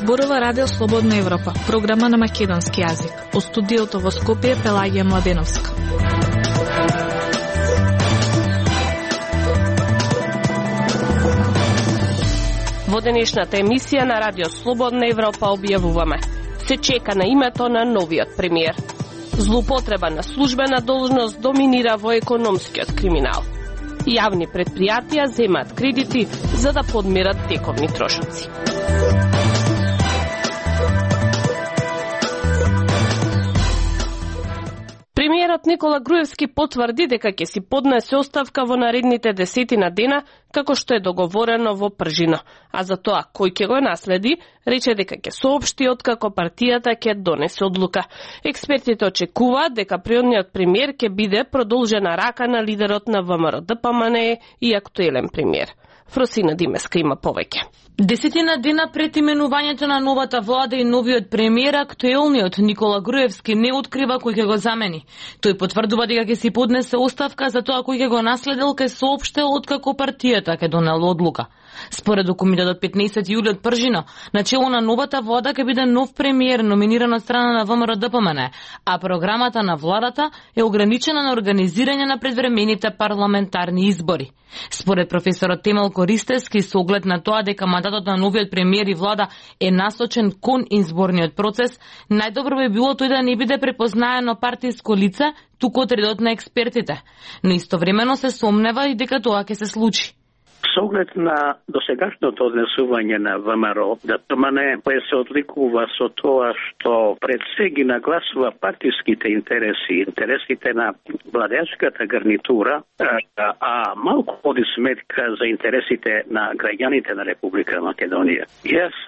Зборува Радио Слободна Европа, програма на македонски јазик. Од студиото во Скопје Пелагија Младеновска. Во денешната емисија на Радио Слободна Европа објавуваме: се чека на името на новиот премиер. Злоупотреба на службена должност доминира во економскиот криминал. Јавни предпријатија земаат кредити за да подмират тековни трошоци. Премиерот Никола Груевски потврди дека ќе си поднесе оставка во наредните 10 дена, како што е договорено во Пржино. А за тоа кој ќе го наследи, рече дека ќе соопшти откако партијата ќе донесе одлука. Експертите очекуваат дека приодниот премиер ќе биде продолжена рака на лидерот на ВМРО-ДПМНЕ и актуелен премиер. Фросина Димеска има повеќе. 10 дена пред именувањето на новата влада и новиот премиер, актуелниот Никола Груевски не открива кој ќе го замени. Тој потврдува дека ќе си поднесе оставка, за тоа кој ќе го наследил ќе соопштел откако партијата ќе донела одлука. Според документот од 15 јули од Пржино, начело на новата влада ќе биде нов премиер номиниран од страна на ВМРО-ДПМНЕ, а програмата на владата е ограничена на организирање на предвремените парламентарни избори. Според професорот Темел Користевски, со оглед на тоа дека мандатот на новиот премиер и влада е насочен кон изборниот процес, најдобро би било тој да не биде препознаено партиско лице, туку од редот на експертите. Но истовремено се сомнева и дека тоа ќе се случи. Со оглед на досегашното однесување на ВМРО-ДПМНЕ, кој се одликува со тоа што пред се ги нагласува партиските интереси, интересите на владеачката гарнитура, а малку води сметка за интересите на граѓаните на Република Македонија. Јас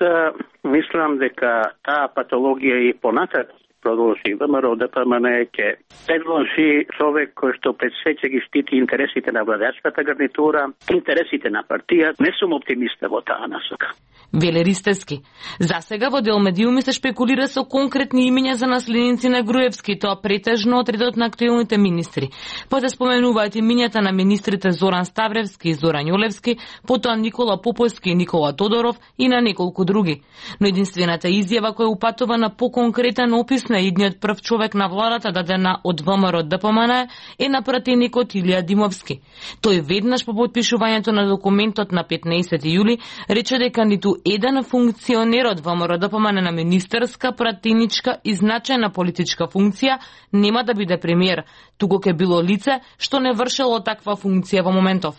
мислам дека таа патологија и понатат продолжи. ВМРО-ДПМНЕ ќе предложи човек кој што пред се ќе ги штити интересите на владеачката гарнитура, интересите на партија. Не сум оптимиста во таа насока. Веле Ристевски. Засега во дел медиуми се шпекулира со конкретни имиња за наследници на Груевски, тоа претежно од редот на актуелните министри. Па се споменуваат имињата на министрите Зоран Ставревски и Зоран Јолевски, потоа Никола Поповски и Никола Тодоров и на неколку други. Но единствената изјава која упатува на поконкретен опис на идниот прв човек на владата дадена од ВМРО-ДПМНЕ е на пратеникот Илија Димовски. Тој веднаш по потпишувањето на документот на 15 јули рече дека ниту еден функционер од ВМРО-ДПМНЕ на министерска, пратеничка и значајна политичка функција нема да биде премиер, туку ќе било лице што не вршело таква функција во моментов.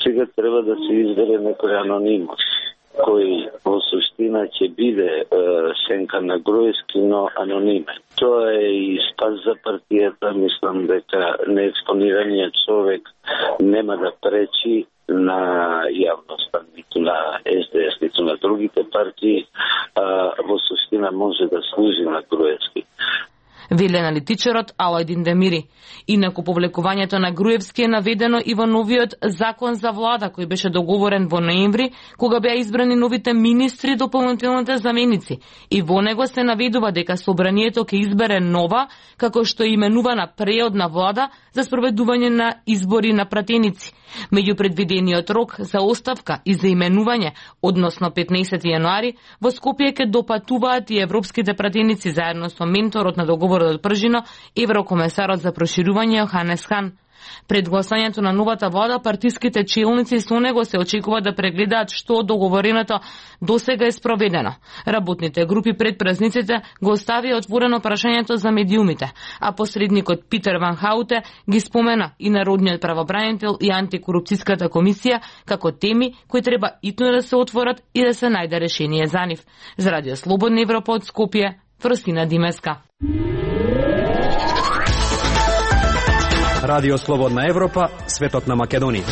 Сега треба да се избере некој аноним кој во суштина ќе биде сенка на Груевски, но анонимен. Тоа е и спас за партијата. Мислам дека неекспонираниот човек нема да пречи на јавноста, ниту на СДС, ниту на другите партии, во суштина може да служи на Груевски. Веле аналитичарот Алајдин Демири. Инаку повлекувањето на Груевски е наведено и во новиот закон за влада кој беше договорен во ноември, кога беа избрани новите министри и дополнителните заменици. И во него се наведува дека собранието ќе избере нова, како што е именувана преодна влада за спроведување на избори на пратеници. Меѓу предвидениот рок за оставка и за именување, односно 15 јануари, во Скопје ќе допатуваат и европските пратеници заедно со менторот на договорот од Пржино, еврокомесарот за проширување Јоханес Хан. Пред гласањето на новата влада, партиските челници со него се очекува да прегледаат што од договореното досега е спроведено. Работните групи пред празниците го оставија отворено прашањето за медиумите, а посредникот Питер Ван Хауте ги спомена и Народниот правобранител и антикорупцијската комисија како теми кои треба итно да се отворат и да се најде решение за нив. За Радио Слободна Европа од Скопје, Фросина Димеска. Радио Слободна Европа, светот на Македонија.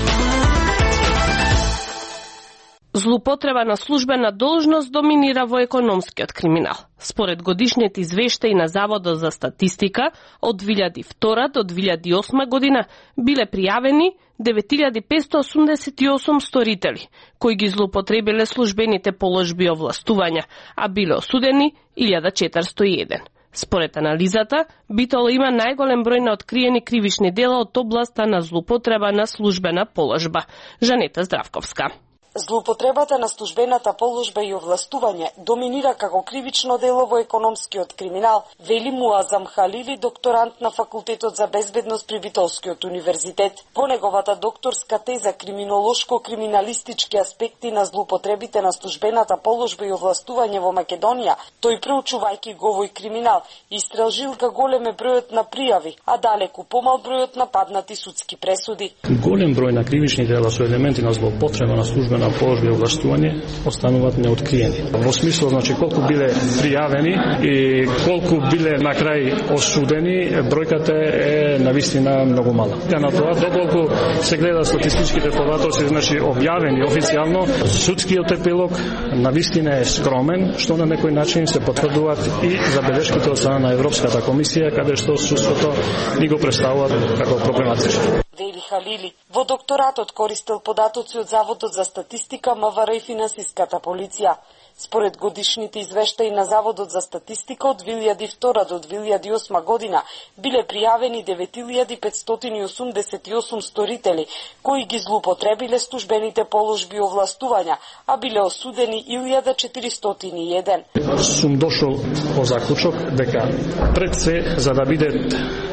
Злоупотреба на службена должност доминира во економскиот криминал. Според годишниот извештај на Заводот за статистика, од 2002 до 2008 година биле пријавени 9588 сторители, кои ги злоупотребиле службените положби и овластувања, а биле осудени 1401. Според анализата, Битола има најголем број на откриени кривични дела од областа на злоупотреба на службена положба. Жанета Здравковска. Злоупотребата на службената положба и овластување доминира како кривично дело во економскиот криминал, вели Муазам Халили, докторант на Факултетот за безбедност при Битолскиот универзитет. Во неговата докторска теза криминолошко-криминалистички аспекти на злоупотребите на службената положба и овластување во Македонија, тој проучувајќи го овој криминал, истражил како голем е бројот на пријави, а далеку помал бројот на паднати судски пресуди. Голем број на кривични дела со елементи на злоупотреба на службена положба и овластување остануваат неоткриени. Во смисло, значи, колку биле пријавени и колку биле на крај осудени, бројката е навистина многу мала. На тоа, доколку се гледа статистичките податоци, значи објавени официјално, судскиот епилог навистина е скромен, што на некој начин се потврдуваат и забелешките од страна на Европската комисија, каде што судството ни го представуваат како проблематично. Вели Халили, во докторатот користел податоци од Заводот за статистика, МВР и финансиската полиција. Според годишните извештаи на Заводот за статистика од 2002 до 2008 година биле пријавени 9588 сторители кои ги злоупотребиле службените положби и овластувања, а биле осудени 1401. Сум дошол по заклучок дека пред се за да биде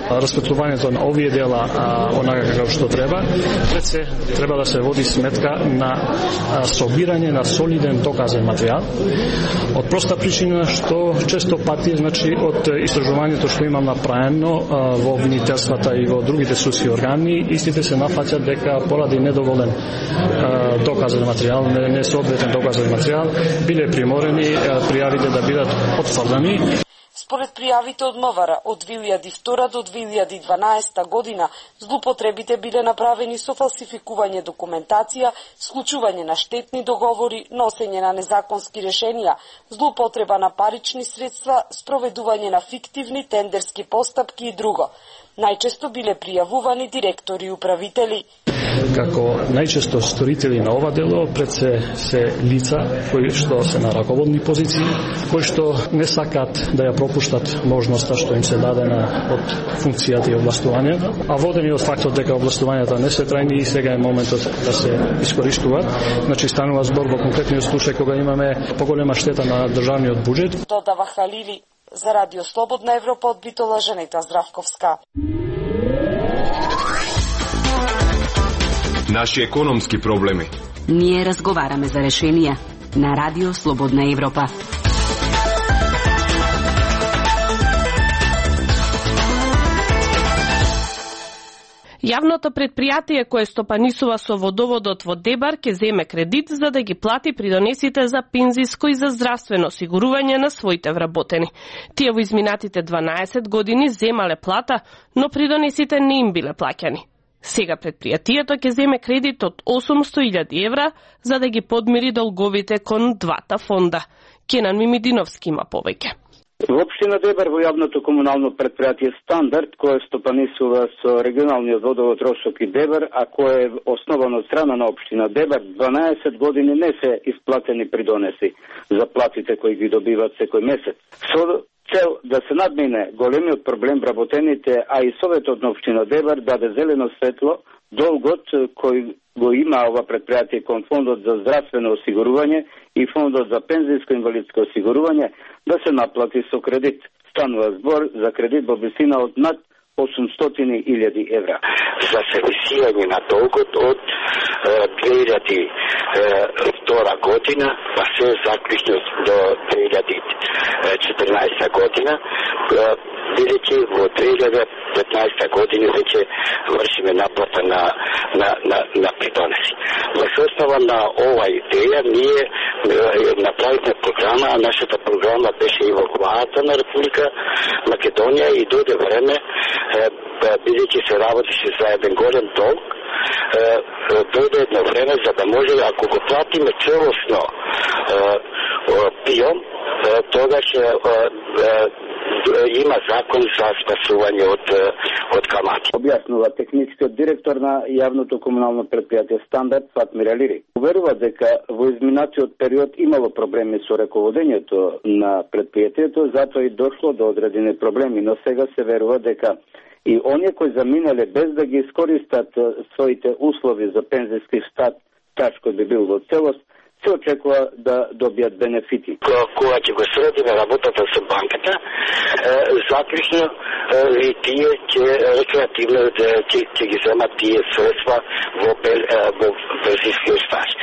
расветлувањето на овие дела онака како што треба, пред се треба да се води сметка на собирање на солиден доказен материјал. Од проста причина што често пати, значи, од истражувањето што имам направено во обвинителствата и во другите судски органи, истите се нафаќаат дека поради недоволен доказен материјал, несоодветен доказен материјал, биле приморени пријавите да бидат отфрлани. Според пријавите од МВР од 2002 до 2012 година, злоупотребите биле направени со фалсификување документација, склучување на штетни договори, носење на незаконски решенија, злоупотреба на парични средства, спроведување на фиктивни тендерски постапки и друго. Најчесто биле пријавувани директори и управители. Како најчесто сторители на ова дело пред се лица кои што се на раководни позиции, кои што не сакат да ја пропуштат можноста што им се дадена од функцијата и овластувањето, а водени од фактот дека овластувањата не се трајни и сега е моментот да се искористуваат. Значи станува збор во конкретниот случај кога имаме поголема штета на државниот буџет. Додава Халили. За Радио Слободна Европа од Битола, Жанета Здравковска. Наши економски проблеми. Ние разговараме за решенија на Радио Слободна Европа. Јавното предпријатие кое стопанисува со водоводот во Дебар ќе земе кредит за да ги плати придонесите за пензиско и за здравствено осигурување на своите вработени. Тие во изминатите 12 години земале плата, но придонесите не им биле плаќани. Сега предпријатието ќе земе кредит од 800.000 евра за да ги подмири долговите кон двата фонда. Кенан Мимидиновски има повеќе. Во општина Дебар во јавното комунално предпријатие Стандард, кое стопанисува со регионалниот водовод Рошок и Дебар, а кое е основано од страна на општина Дебар, 12 години не се исплатени придонеси за платите кои ги добиваат секој месец. Со цел да се надмине големиот проблем вработените, а и Советот на општина Дебар даде зелено светло долгот кој го има ова предпријатие кон фондот за здравствено осигурување и фондот за пензијско инвалидско осигурување да се наплати со кредит. Станува збор за кредит во висина од над 800.000 евра. За сервисирање на долгот од 2002 година, па се заклучно до 2014 година, бидејќи во 2015 година веќе вршиме наплата на придонеси. Во основа на ова идеја ние направивме програма, а нашата програма беше и во владата на Република Македонија и дојде време, бидејќи се работеше за еден голем долг, дојде едно време за да може, ако го платиме целосно пиом, тогаш има закон за спасување од камати. Објаснува техничкиот директор на јавното комунално предпријатие Стандард Фатмир Алири. Уверува дека во изминатиот период имало проблеми со раководењето на предпријатието, затоа и дошло до одредени проблеми, но сега се верува дека и оние кои заминале без да ги искористат своите услови за пензијски стаж кој би бил во целост, се очекува да добијат бенефити. Кога ќе го средиме работата со банката, заклучно и тие ќе рекреативно ќе ги земат тие средства во пензискиот стаж.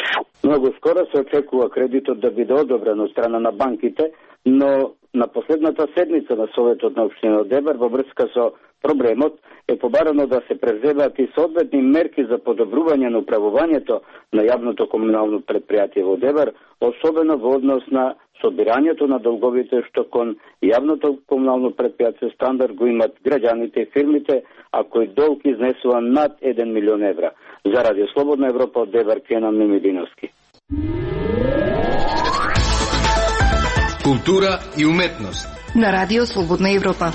Многу скоро се очекува кредитот да биде одобрен од страна на банките, но на последната седница на Советот на општина Одебар во врска со проблемот е побарано да се преземат и соодветни мерки за подобрување на управувањето на јавното комунално предпријатие во Одебар, особено во однос на собирањето на долговите што кон јавното комунално предпријатие Стандард го имат граѓаните и фирмите, а кој долг изнесува над 1 милион евра. За Радио Слободна Европа од Одебар, Кенан Мимидиновски. Култура и уметност на Радио Слободна Европа.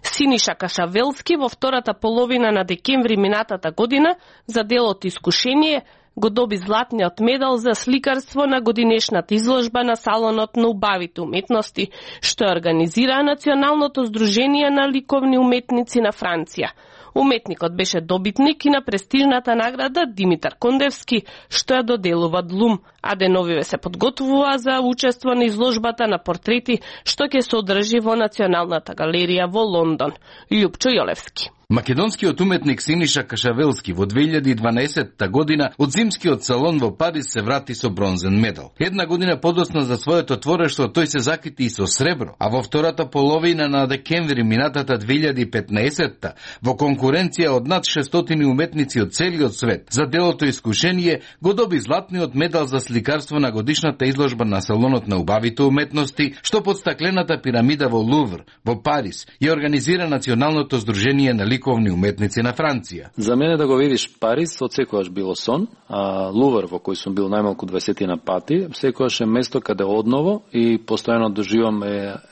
Синиша Кашавелски во втората половина на декември минатата година за делот Искушение го доби златниот медал за сликарство на годинешната изложба на Салонот на убавите уметности, што организира Националното здружение на ликовни уметници на Франција. Уметникот беше добитник и на престижната награда Димитар Кондевски, што ја доделува ДЛУМ, а деновиве се подготвува за учество на изложбата на портрети, што ќе се одржи во Националната галерија во Лондон. Љупчо Јолевски. Македонскиот уметник Синиша Кашавелски во 2012 година од зимскиот салон во Париз се врати со бронзен медал. Една година подоцна за своето творештво тој се закити и со сребро, а во втората половина на декември минатата 2015 во конкуренција од над 600 уметници од целиот свет за делото Искушение го доби златниот медал за сликарство на годишната изложба на Салонот на убавите уметности, што под стаклената пирамида во Лувр во Париз ја организира Националното здружение на ликовни уметници на Франција. За мене да го видиш Париз од секогаш било сон, а Лувр во кој сум бил најмалку 20 пати, секогаш е место каде одново и постојано доживам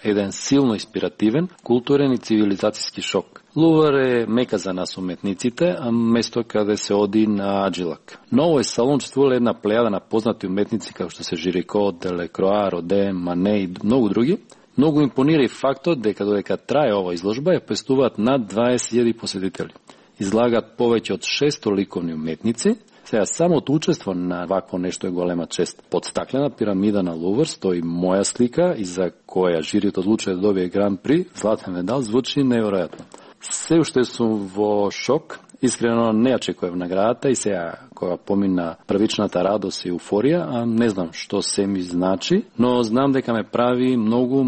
еден силно инспиративен, културен и цивилизацијски шок. Лувр е мека за нас уметниците, а место каде се оди на аджилак. Но овој салон чествува една плејада на познати уметници како што се Жирико, Делекроа, Роден, Мане и многу други. Многу импонира и фактот дека додека трае ова изложба ја пестуваат над 20.000 посетители. Излагаат повеќе од 600 ликовни уметници. Сега самото учество на вакво нешто е голема чест. Под стаклена пирамида на Лувр стои моја слика и за која жирито одлучи да добие Гран При, златен медал, звучи неверојатно. Се уште сум во шок. Искрено не ја очекував наградата и сега кога помина првичната радост и еуфорија, а не знам што се ми значи, но знам дека ме прави многу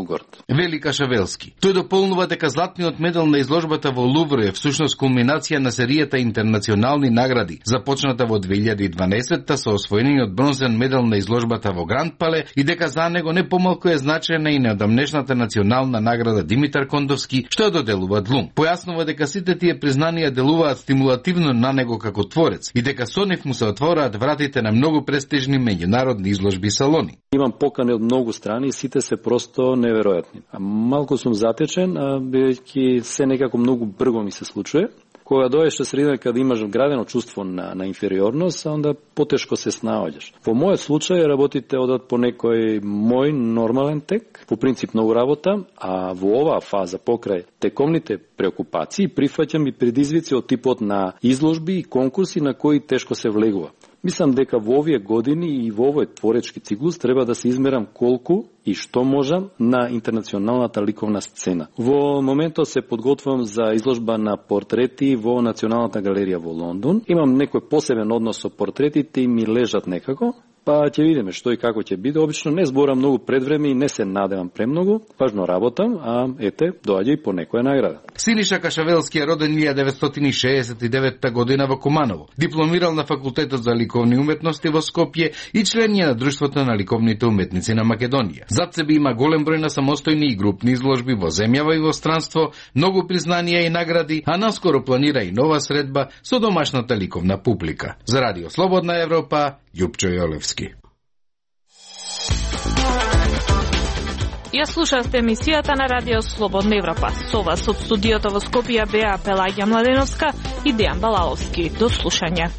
горд. Вели Кашавелски. Тој дополнува дека златниот медал на изложбата во Лувр е всушност кулминација на серијата интернационални награди, започната во 2012 со освоениот бронзен медал на изложбата во Гранд Пале и дека за него не помалку е значајна и неодамнешната национална награда Димитар Кондовски, што ја доделува ДЛУМ. Појаснува дека сите тие признанија делуваат стимулативно на него како творец и дека со нив му се отвораат вратите на многу престижни меѓународни изложби и салони. Имам покани од многу страни и сите се просто неверојатни. Малку сум затечен, бидејќи се некако многу брзо ми се случува. Кога дојдеш на средина каде имаш вградено чувство на инфериорност, онда потешко се снаоѓаш. Во мојот случај работите одат по некој мој нормален тек, по принцип многу работа, а во оваа фаза покрај текомните преокупации прифаќам и предизвици од типот на изложби и конкурси на кои тешко се влегува. Мислам дека во овие години и во овој творечки циклус треба да се измерам колку и што можам на интернационалната ликовна сцена. Во моментот се подготвувам за изложба на портрети во Националната галерија во Лондон. Имам некој посебен однос со портретите и ми лежат некако. Па ќе видиме што и како ќе биде. Обично не зборам многу пред време и не се надевам премногу. Важно работам, а ете, доаѓа и по некоја награда. Синиша Кашавелски е роден 1969 година во Куманово. Дипломирал на Факултетот за ликовни уметности во Скопје и член е на Друштвото на ликовните уметници на Македонија. Зад себе има голем број на самостојни и групни изложби во земјава и во странство, многу признанија и награди, а наскоро планира и нова средба со домашната ликовна публика. За Радио Слободна Европа, Љупчо Јолевски. Ја слушавте емисијата на Радио Слободна Европа. Со вас од студиото во Скопје беа Пелагија Младеновска и Дејан Балаловски. До слушање.